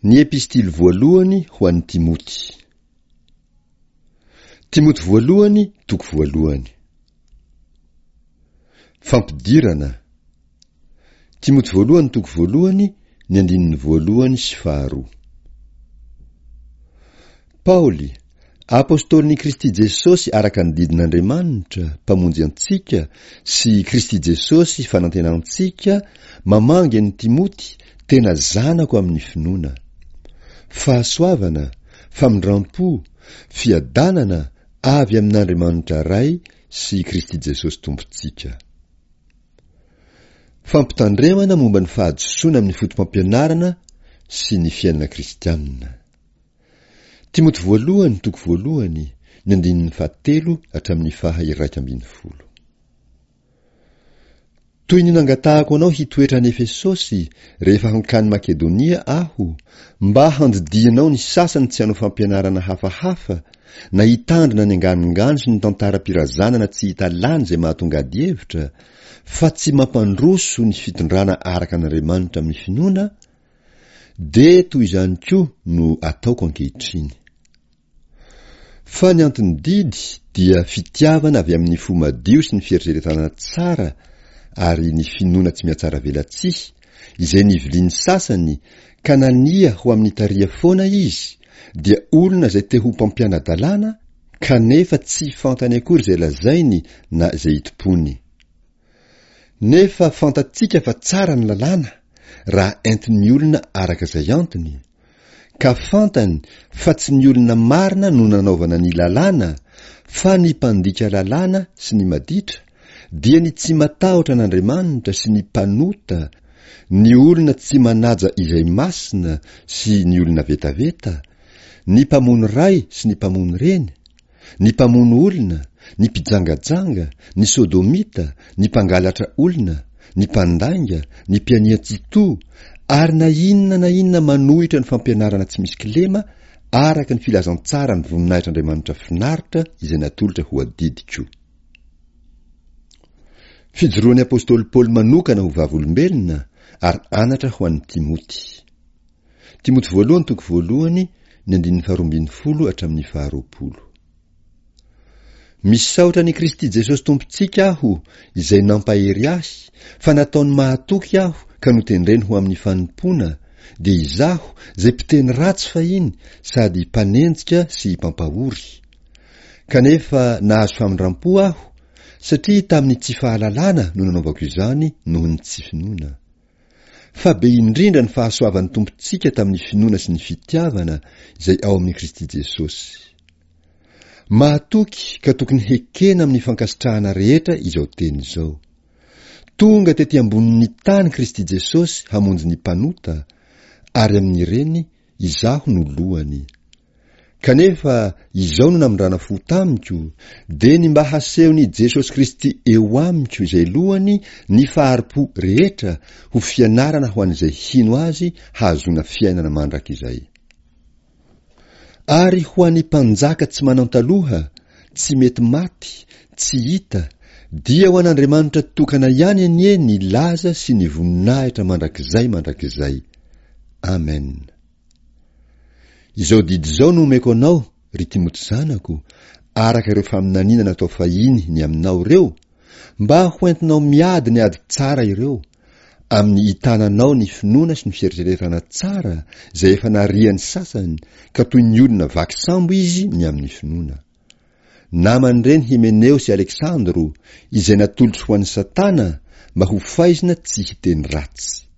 Ny Epistily voalohany ho an'i Timoty. Timoty voalohany toko voalohany. Fampidirana. Timoty voalohany toko voalohany ny andininy voalohany sy faharoa. Paoly, Apostolin'i Kristy Jesosy araka ny didin'Andriamanitra, Mpamonjy antsika, sy Kristy Jesosy fanantenantsika, mamangy an'i Timoty, tena zanako amin'ny finoana. Fahasoavana, famindram-po, fiadanana avy amin'Andriamanitra Ray sy Kristy Jesosy Tompontsika. Fampitandremana momba ny fahadisoana amin'ny fotopampianarana sy ny fiainana kristianina. Timoty voalohany toko voalohany, ny andininy fahatelo hatramin'ny faha 11. Toy ny nangatahako anao hitoetra any Efesosy rehefa hankany Makedonia aho, mba handidianao ny sasany tsy hanao fampianarana hafahafa, na hitandrina ny anganongano sy ny tantaram-pirazanana tsy hita lany izay mahatonga adihevitra, fa tsy mampandroso ny fitondrana araka an'Andriamanitra amin'ny finoana, dia toy izany koa no ataoko ankehitriny. Fa ny anton'ny didy dia fitiavana avy amin'ny fo madio sy ny fieritreretana tsara ary ny finoana tsy mihatsaravelatsihy, izay nivilian'ny sasany ka nania ho amin'ny tariha foana izy, dia olona izay te ho mpampiana-dalàna kanefa tsy fantany akory izay lazainy na izay itompoany. Nefa fantatsika fa tsara ny lalàna raha entin'ny olona araka izay antony, ka fantany fa tsy ny olona marina no nanaovana ny lalàna fa ny mpandika lalàna sy ny maditra, dia ny tsy matahotra an'Andriamanitra sy ny mpanota, ny olona tsy manaja izay masina sy ny olona vetaveta, ny mpamono ray sy ny mpamono reny, ny mpamono olona, ny mpijangajanga, ny sodomita, ny mpangalatra olona, ny mpandainga, ny mpianian-tsitoha, ary na inona na inona manohitra ny fampianarana tsy misy kilema araka ny filazantsara ny voninahitr'Andriamanitra finaritra izay natolotra ho adidiko. Fijoroan'ny apostoly Paoly manokana ho vavolombelona ary anatra ho an'i Timoty. Timoty voalohany toko voalohany ny andininy faharoa ambin'ny folo hatramin'ny faharoapolo. Misaotra an'i Kristy Jesosy Tompontsika aho izay nampahery ahy fa nataony mahatoky aho ka notendreny ho amin'ny fanompoana, dia izaho izay mpiteny ratsy fahiny sady mpanenjika sy mpampahory. Kanefa nahazo famindram-po aho satria tamin'ny tsy fahalalana no nanaovako izany noho ny tsy finoana. Fa be indrindra ny fahasoavan'ny Tompontsika tamin'ny finoana sy ny fitiavana izay ao amin'i Kristy Jesosy. Mahatoky ka tokony hekena amin'ny fankasitrahana rehetra izao teny izao. Tonga tety ambonin'ny tany Kristy Jesosy hamonjy ny mpanota, ary amin'ireny izaho no lohany. Kanefa izao no namindrana fo tamiko, dia ny mba hasehon'i Jesosy Kristy eo amiko izay lohany ny fahari-po rehetra ho fianarana ho an'izay hino Azy hahazoana fiainana mandrakizay. Ary ho an'ny mpanjaka tsy manan-taloha, tsy mety maty, tsy hita, dia ho an'Andriamanitra tokana ihany anie ny laza sy ny voninahitra mandrakizay mandrakizay. Amen. Izao didy izao no omeko anao, ry Timoty zanako, araka ireo faminaniana natao fahiny ny aminao ireo, mba hoentinao miady ny ady tsara ireo, amin'ny hitananao ny finoana sy ny fieritreretana tsara izay efa narian'ny sasany ka toy ny olona vaky sambo izy ny amin'ny finoana. Naman'ireny Hymeneo sy Aleksandro, izay natolotro ho an'i Satana mba ho faizina tsy hiteny ratsy.